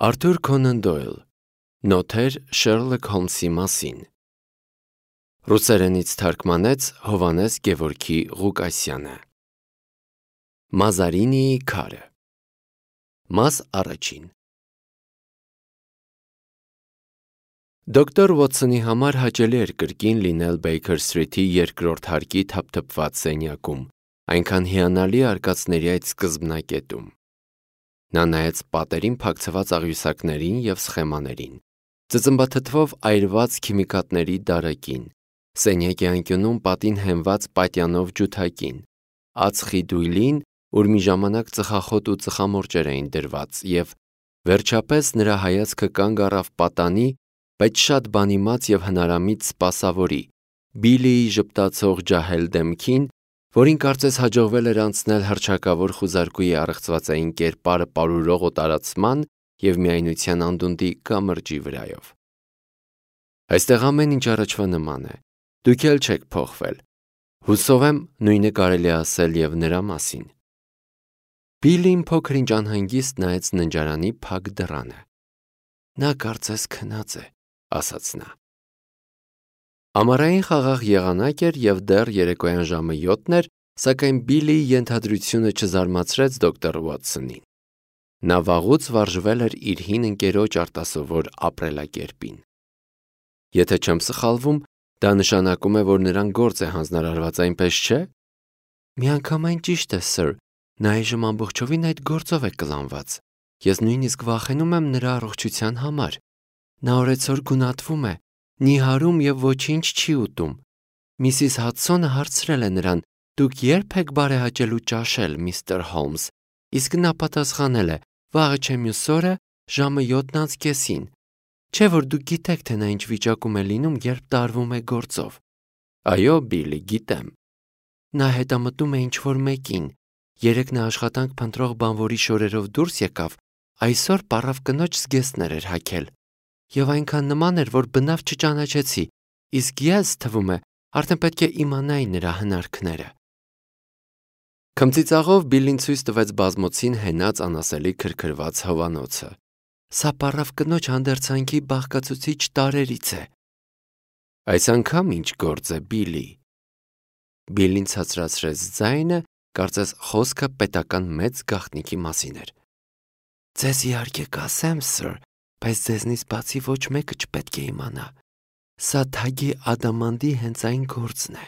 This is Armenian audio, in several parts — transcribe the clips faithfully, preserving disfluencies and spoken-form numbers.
Արթուր Քոնան Դոյլ Նոթեր Շերլոք Հոլմսի մասին Ռուսերենից թարգմանեց Հովհաննես Գևորգի Ղուկասյանը Մազարինիի քարը Մաս առաջին Դոկտոր Ուոթսոնի համար հաճելի էր կրկին լինել Բեյքեր Սթրիթի երկրորդ հարկի թափթփված սենյակում, այնքան հիանալի արկածների այդ սկզբնակետում։ Նա նայեց պատերին փակցված աղյուսակներին և սխեմաներին, ծծմբաթթվով այրված քիմիկատների դարակին, սենյակի անկյունում պատին հենված պատյանով ջութակին, ածխի դույլին, ուր մի ժամանակ ծխախոտ ու ծխամորճեր էին դրված, և վերջապես նրա հայացքը կանգ առավ պատանի, բայց շատ բանիմաց և հնարամիտ սպասավորի, Բիլիի ժպտացող ջահել դեմքին, որին կարծես հաջողվել էր անցնել հռչակավոր խուզարկուի առեղծվածային կերպարը պարուրող օտարացման և միայնության անդունդի կամրջի վրայով։ Այստեղ ամեն ինչ առաջվա նման է, դուք էլ չեք փոխվել, հուսով եմ նույնը կարելի է ասել և նրա մասին։ Բիլին փոքր-ինչ անհանգիստ նայեց ննջարանի փակ դռանը։ Նա կարծես քնած է, ասաց նա։ Ամառային խաղաղ եղանակ էր և դեռ երեկոյան ժամը յոթն էր, սակայն Բիլիի ենթադրությունը չզարմացրեց դոկտոր Ուոթսոնին։ Նա վաղուց վարժվել էր իր հին ընկերոջ արտասովոր ապրելակերպին։ Եթե չեմ սխալվում, դա նշանակում է, որ նրան գործ է հանձնարարված, այնպես չէ՞։ Միանգամայն ճիշտ է, սըր, նա այժմ ամբողջովին այդ գործով է կլանված։ Ես նույնիսկ վախենում եմ նրա առողջության համար։ Նա օրեցօր գունատվում է, նիհարում և ոչինչ չի ուտում։ Միսիս Հադսոնը հարցրել է նրան. «Դուք ե՞րբ եք բարեհաճելու ճաշել, միստր Հոլմս», իսկ նա պատասխանել է. «Վաղը չէ մյուս օրը, ժամը յոթն անց կեսին»։ Չէ՞ որ դուք գիտեք, թե նա ինչ վիճակում է լինում, երբ տարվում է գործով։ Այո, Բիլի, գիտեմ։ Նա հետամտում է ինչ-որ մեկին։ Երեկ նա աշխատանք փնտրող բանվորի շորերով դուրս եկավ, այսօր պառավ կնոջ զգեստներ էր հագել։ Եվ այնքան նման էր, որ բնավ չճանաչեցի, իսկ ես, թվում է, արդեն պետք է իմանայի նրա հնարքները։ Քմծիծաղով Բիլին ցույց տվեց բազմոցին հենած անասելի քրքրված հովանոցը։ Սա պառավ կնոջ հանդերձանքի բաղկացուցիչ տարրերից է։ Այս անգամ ինչ գործ է, Բիլի։ Բիլին ցածրացրեց ձայնը, կարծես խոսքը պետական մեծ գաղտնիքի մասին էր։ Ձեզ իհարկե կասեմ, սըր, բայց ձեզնից բացի ոչ մեկը չպետք է իմանա։ Սա թագի ադամանդի հենց այն գործն է։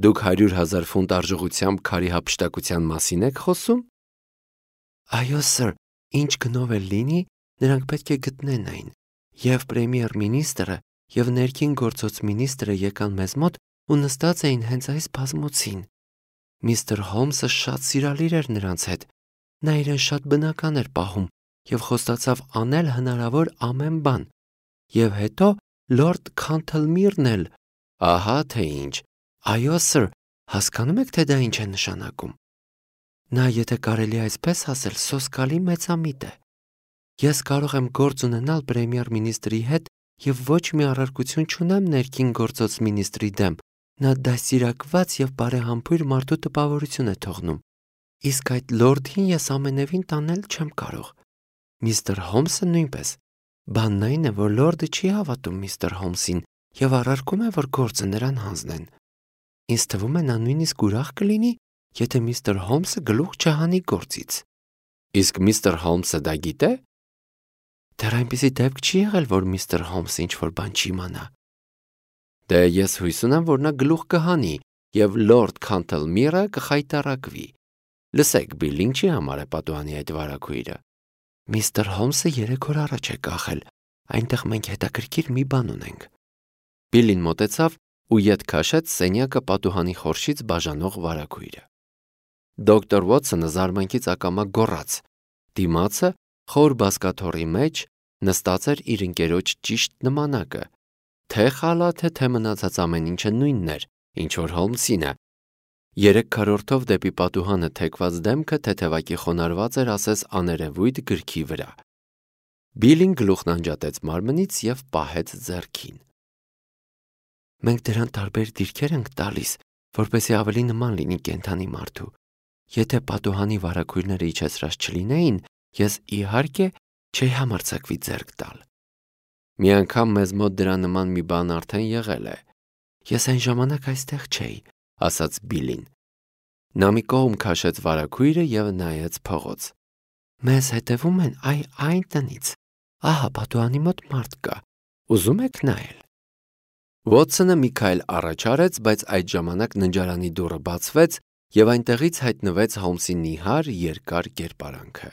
Դուք հարյուր հազար ֆունտ արժողությամբ քարի հափշտակության մասին եք խոսում։ Այո, սըր, ինչ գնով էլ լինի, նրանք պետք է գտնեն այն։ Եվ պրեմիեր մինիստրը, և ներքին գործոց մինիստրը եկան մեզ մոտ ու նստած էին հենց այս բազմոցին։ Միստր Հոլմսը շատ սիրալիր էր նրանց հետ։ Նա իրեն շատ բնական էր պահում և խոստացավ անել հնարավոր ամեն բան։ Եվ հետո լորդ Քանթլմիրն էլ, ահա թե ինչ, այո, սըր, հասկանում եք, թե դա ինչ է նշանակում։ Նա, եթե կարելի է այսպես ասել, սոսկալի մեծամիտ է։ Ես կարող եմ գործ ունենալ պրեմիեր մինիստրի հետ և ոչ մի առարկություն չունեմ ներքին գործոց մինիստրի դեմ, նա դաստիարակված և բարեհամբույր մարդու տպավորություն է թողնում, իսկ այդ լորդին ես ամենևին տանել չեմ կարող։ Միստր Հոլմսը նույնպես։ Բանն այն է, որ լորդը չի հավատում միստր Հոլմսին և առարկում է, որ գործը նրան հանձնեն։ Ինձ թվում է, նա նույնիսկ ուրախ կլինի, եթե միստր Հոլմսը գլուխ չհանի գործից։ Իսկ միստր Հոլմսը դա գիտե։ Դեռ այնպիսի դեպք չի եղել, որ միստր Հոլմսը ինչ-որ բան չիմանա։ Դե ես հույս ունեմ, որ նա գլուխ կհանի և լորդ Քանթլմիրը կխայտառակվի։ Լսեք, Բիլ, ինչի համար է պատուհանի այդ վարագույրը։ Միստր Հոլմսը երեք օր առաջ է կախել, այնտեղ մենք հետաքրքիր մի բան ունենք։ Բիլին մոտեցավ ու ետ քաշեց սենյակը պատուհանի խորշից բաժանող վարագույրը։ Դոկտոր Ուոթսոնը զարմանքից ակամա գոռաց։ Դիմացը, խոր բազկաթոռի մեջ, նստած էր իր ընկերոջ ճիշտ նմանակը։ Թե խալաթը, թե մնացած ամեն ինչը նույնն էր, ինչ որ Հոլմսինը։ Երեք քառորդով դեպի պատուհանը թեքված դեմքը թեթևակի խոնարհված էր ասես աներևույթ գրքի վրա։ Բիլին գլուխն անջատեց մարմնից և պահեց ձեռքին։ Մենք դրան տարբեր դիրքեր ենք տալիս, որպեսզի ավելի նման լինի կենդանի մարդու։ Եթե պատուհանի վարագույրները իջեցրած չլինեին, ես իհարկե Չի համարձակվի ձեռք տալ։ Մի անգամ մեզ մոտ դրա նման մի բան արդեն եղել է։ Ես այն ժամանակ այստեղ չէի, ասաց Բիլին։ Նա մի կողմ քաշեց վարագույրը և նայեց փողոց։ Մեզ հետևում են այ այն տնից։ Ահա պատուհանի մոտ մարդ կա։ Ուզում եք նայել։ Վոթսոնը մի քայլ առաջ արեց, բայց այդ ժամանակ ննջարանի դուռը բացվեց և այնտեղից հայտնվեց Հոլմսի նիհար, երկար կերպարանքը։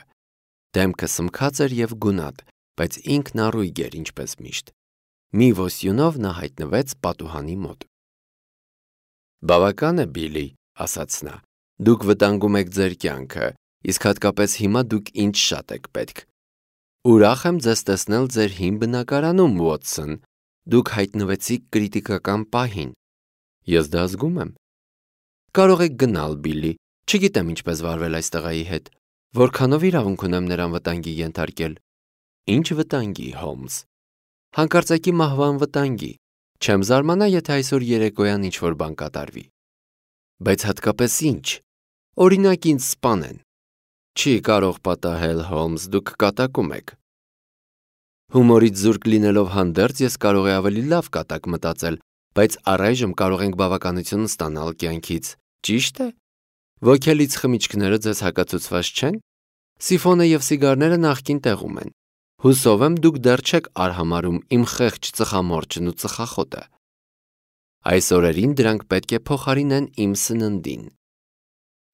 Դեմքը սմքած էր և գունատ, բայց ինքն առույգ էր, ինչպես միշտ։ Մի ոսյունով նա հայտնվեց պատուհանի մոտ։ Բավական է, Բիլի, ասաց նա։ Դուք վտանգում եք ձեր կյանքը, իսկ հատկապես հիմա դուք ինձ շատ եք պետք։ Ուրախ եմ ձեզ տեսնել ձեր հին բնակարանում, Վոթսոն։ Դուք հայտնվեցիք կրիտիկական պահին։ Ես դա զգում եմ։ Կարող եք գնալ, Բիլի։ Չգիտեմ ինչպես վարվել այս տղայի հետ։ Որքանով իրավունք ունեմ նրան վտանգի ենթարկել։ Ինչ վտանգի, Հոլմս։ Հանկարծակի մահվան վտանգի։ Չեմ զարմանա, եթե այսօր երեկոյան ինչ-որ բան կատարվի։ Բայց հատկապես ինչ։ Օրինակ ինձ սպանեն։ Չի կարող պատահել, Հոլմս, դուք կատակում եք։ Հումորից զուրկ լինելով հանդերձ ես կարող եմ ավելի լավ կատակ մտածել, բայց առայժմ կարող ենք բավականություն ստանալ կյանքից, ճիշտ է։ Ոգելից խմիչքները ձեզ հակացուցված չեն։ Սիֆոնը և սիգարները նախկին տեղում են։ Հուսով եմ դուք դեռ չեք արհամարհում իմ խեղճ ծխամորճն ու ծխախոտը։ Այս օրերին դրանք պետք է փոխարինեն իմ սննդին։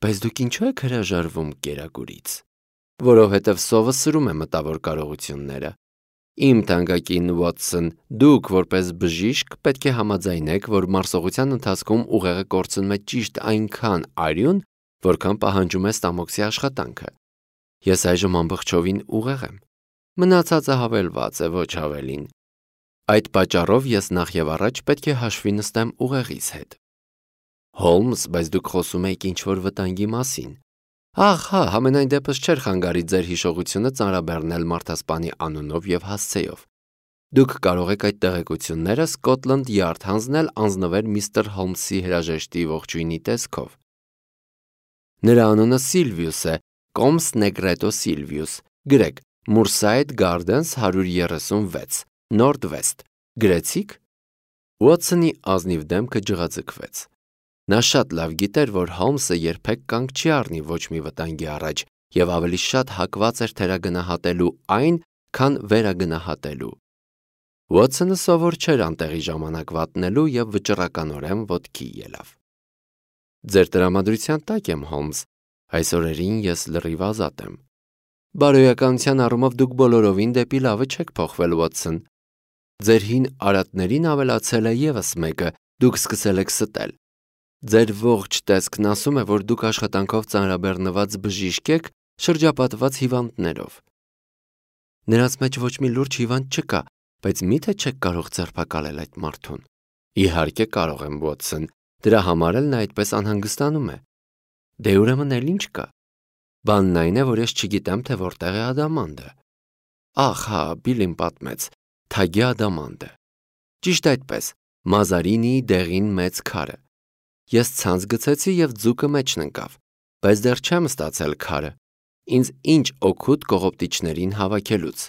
Բայց դուք ինչու եք հրաժարվում կերակուրից։ Որովհետև սովը սրում է մտավոր կարողությունները։ Իմ թանկագին Վոթսոն, դուք որպես բժիշկ պետք է համաձայնեք, որ մարսողության ընթացքում ուղեղը կորցնում է ճիշտ այնքան արյուն, որքան պահանջում է ստամոքսի աշխատանքը։ Ես այժմ ամբողջովին ուղեղ եմ։ Մնացածը հավելված է, ոչ ավելին։ Այդ պատճառով ես նախ եւ առաջ պետք է հաշվի նստեմ ուղեղիս հետ։ Հոլմս, բայց դուք խոսում եք ինչ-որ վտանգի մասին։ Ահ, հա, համենայն դեպս չէր խանգարի ձեր հիշողությունը ծանրաբեռնել մարդասպանի անունով և հասցեով։ Դուք կարող եք այդ տեղեկությունները Scotland Yard հանձնել անձնվեր միստր Հոլմսի հրաժեշտի ողջույնի տեսքով։ Նրա անունը Սիլվիուս է, Կոմս Նեգրետո Սիլվիուս, գրեք Moorside Gardens հարյուր երեսունվեց, North-West, գրեցիք։ Ուոթսոնի ազնիվ դեմքը ջղաձգվեց։ Նա շատ լավ գիտեր, որ Հոլմսը երբեք կանգ չի առնի ոչ մի վտանգի առաջ և ավելի շատ հակված էր թերագնահատելու այն, քան վերագնահատելու։ Ուոթսոնը սովոր չէր անտեղի ժամանակ վատնելու և վճռականորեն ոտքի ելավ։ Ձեր տրամադրության տակ եմ, Հոլմս, այս օրերին ես լրիվ ազատ եմ։ Բարոյականության առումով դուք բոլորովին դեպի լավը չեք փոխվել, Ուոթսոն։ Ձեր հին արատներին ավելացել է ևս մեկը, դուք սկսել եք ստել։ Ձեր ողջ տեսքն ասում է, որ դուք աշխատանքով ծանրաբեռնված բժիշկ եք, շրջապատված հիվանդներով։ Նրանց մեջ ոչ մի լուրջ հիվանդ չկա, բայց մի՞թե չեք կարող ձերբակալել այդ մարդուն։ Իհարկե կարող եմ, Վոթսոն, դրա համար էլ նա այդպես անհանգստանում է։ Դե ուրեմն էլ ինչ կա։ Բանն այն է, որ ես չգիտեմ, թե որտեղ է ադամանդը։ Ախ, հա, Բիլին պատմեց, թագի ադամանդը։ Ճիշտ այդպես, Մազարինիի դեղին մեծ քարը։ Ես ցանց գցեցի և ձուկը մեջն ընկավ, բայց դեռ չեմ ստացել քարը։ Ինձ ինչ օգուտ կողոպտիչներին հավաքելուց։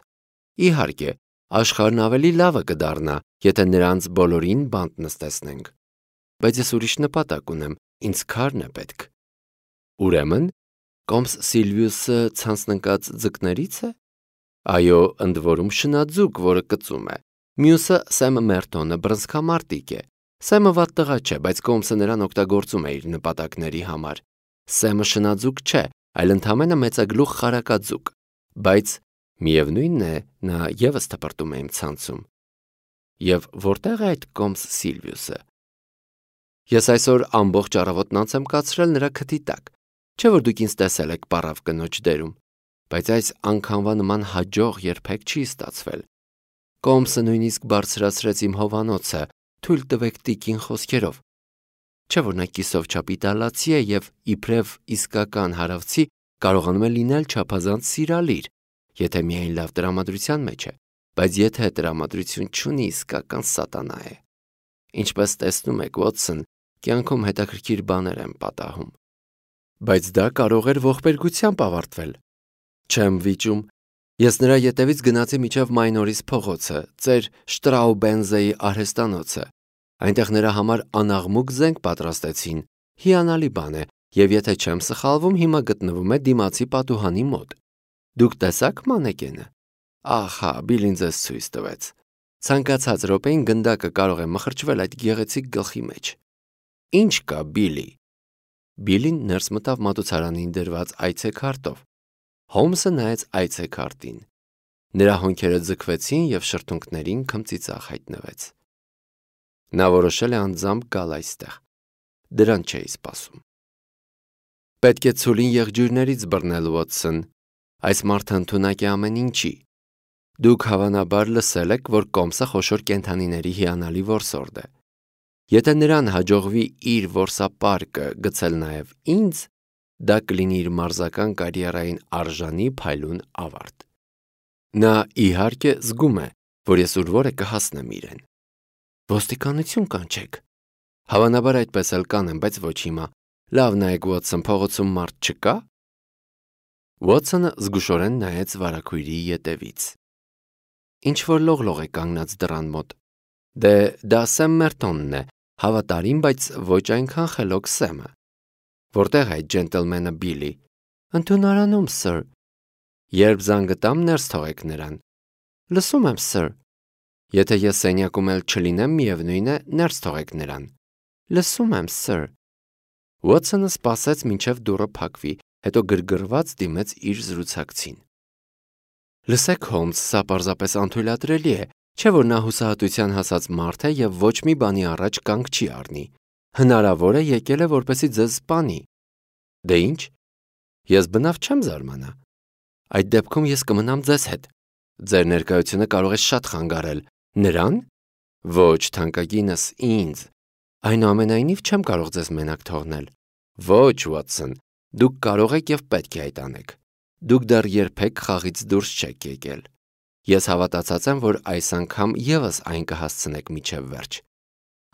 Իհարկե, աշխարհն ավելի լավը կդառնա, եթե նրանց բոլորին բանտ նստեցնենք։ Բայց ես ուրիշ նպատակ ունեմ, ինձ քարն է պետք։ Ուրեմն, Կոմս Սիլվիուսը ցանցն ընկած ձկներից է։ Այո, ընդ որում շնաձուկ, որը կծում է։ Մյուսը Սեմ Մերտոնը բռնցքամարտիկ է։ Սեմը վատ տղա չէ, բայց Կոմսը նրան օգտագործում է իր նպատակների համար։ Սեմը շնաձուկ չէ, այլ ընդամենը մեծագլուխ խարակաձուկ, բայց միևնույնն է, նա ևս թպրտում է իմ ցանցում։ Եվ որտեղ է այդ Կոմս Սիլվիուսը։ Ես այսօր ամբողջ առավոտն անց եմ կացրել նրա քթի տակ, չէ՞ որ դուք ինձ տեսել եք պառավ կնոջ դերում, բայց այս անգամվա նման հաջող երբեք չի ստացվել։ Կոմսը նույնիսկ բարձրացրեց իմ հովանոցը, թույլ տվեք տիկին խոսքերով։ Չէ՞ որ նա կիսով չափ իտալացի է և իբրև իսկական հարավցի կարողանում է լինել չափազանց սիրալիր, եթե միայն լավ տրամադրության մեջ է, բայց եթե տրամադրություն չունի, իսկական սատանա է։ Ինչպես տեսնում եք, Վոթսոն, կյանքում հետաքրքիր բաներ եմ պատահում։ Բայց դա կարող էր ողբերգությամբ ավարտվել։ Չեմ վիճում։ Ես նրա ետևից գնացի մինչև Մայնորիս փողոցը, ծեր Շտրաուբենզեի արհեստանոցը։ Այնտեղ նրա համար անաղմուկ զենք պատրաստեցին։ Հիանալի բան է, եւ եթե չեմ սխալվում, հիմա գտնվում է դիմացի պատուհանի մոտ։ Դուք տեսաք մանեկենը։ Ահա, Բիլին ձեզ ցույց տվեց։ Ցանկացած րոպեին գնդակը կարող է մխրճվել այդ գեղեցիկ գլխի մեջ։ Ինչ կա, Բիլի։ Բիլին ներս մտավ մատուցարանին դրված այցեքարտով։ Հոմսը նայեց այցեքարտին։ Նրա հոնքերը ձգվեցին եւ շրթունքներին քմծիծաղ հայտնվեց։ Նա որոշել է անձամբ գալ այստեղ։ Դրան չէի սպասում։ Պետք է ցուլին եղջյուրներից բռնել, Ուոտսոն։ Այս մարդը ընդունակ է ամեն ինչի։ Դուք հավանաբար լսել եք, որ կոմսը խոշոր կենդանիների հիանալի որսորդ է։ Եթե նրան հաջողվի իր որսապարկը գցել նաև ինձ, դա կլինի իր մարզական կարիերային արժանի փայլուն ավարտ։ Նա իհարկե զգում է, որ ես ուրվոր է կհասնեմ իրեն։ Ոստիկանություն կանչեք։ Հավանաբար այդպես էլ կանեմ, բայց ոչ հիմա։ Լավ նայեք, Ուոտսոն, փողոցում մարդ չկա։ Ուոտսոնը զգուշորեն նայեց վարագույրի ետևից։ Ինչ որ լողլող է կանգնած դռան մոտ։ Դե դա Սեմ Մերտոնն է, հավատարիմ, բայց ոչ այնքան խելոք Սեմը։ Որտեղ է այդ ջենտլմենը Բիլի։ Ընդունարանում, սըր։ Երբ զանգը տամ, ներս թողեք նրան։ Լսում եմ, սըր։ Եթե ես սենյակում էլ չլինեմ, միևնույն է, ներս թողեք նրան։ Լսում եմ, սըր։ Ուոտսոնը սպասեց, մինչև դուռը փակվի, հետո գրգռված դիմեց իր զրուցակցին։ Լսեք, Հոմս, սա պարզապես անթույլատրելի է, չէ՞ որ նա հուսահատության հասած մարդ է եւ ոչ մի բանի առաջ կանգ չի առնի։ Հնարավոր է եկել է որպեսզի ձեզ սպանի։ Դե ինչ։ Ես բնավ չեմ զարմանա։ Այդ դեպքում ես կմնամ ձեզ հետ։ Ձեր ներկայությունը կարող է շատ խանգարել։ Նրան։ Ոչ, թանկագինս, ինձ։ Այնուամենայնիվ չեմ կարող ձեզ մենակ թողնել։ Ոչ, Ուոտսոն, դուք կարող եք եւ պետք է այդ անեք։ Դուք դեռ երբեք խաղից դուրս չեք եկել։ Ես հավատացած եմ, որ այս անգամ եւս այն կհասցնեք միջև վերջ։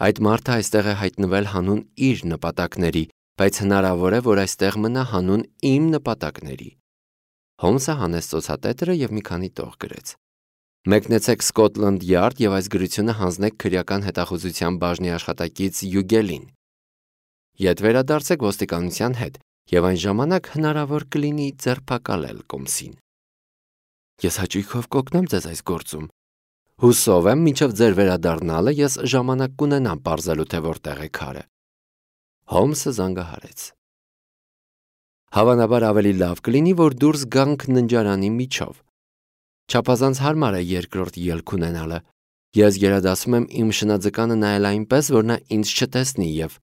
Այդ մարդը այստեղ է հայտնվել հանուն իր նպատակների, բայց հնարավոր է, որ այստեղ մնա հանուն իմ նպատակների։ Հոմսը հանեց ծոցատետրը եւ մի քանի տող գրեց։ Մեկնեցեք Սկոթլանդ Յարդ եւ այս գրությունը հանձնեք քրեական հետախուզության բաժնի աշխատակից Յուգելին։ Ետ վերադարձեք ոստիկանության հետ եւ այն ժամանակ հնարավոր կլինի ձերբակալել կոմսին։ Ես հաճույքով կօգնեմ ձեզ այս գործում։ Հուսով եմ, մինչև ձեր վերադառնալը ես ժամանակ կունենամ պարզելու, թե որտեղ է քարը։ Հոմսը զանգահարեց։ Հավանաբար ավելի լավ կլինի, որ դուրս գանք ննջարանի միջով։ Չափազանց հարմար է երկրորդ ելք ունենալը։ Ես գերադասում եմ իմ շնաձկանը նայել այնպես, որ նա ինձ չտեսնի եւ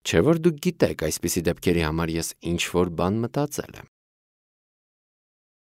չէ՞ որ դուք գիտեք, այսպիսի դեպքերի համար ես ինչ որ բան մտածել եմ։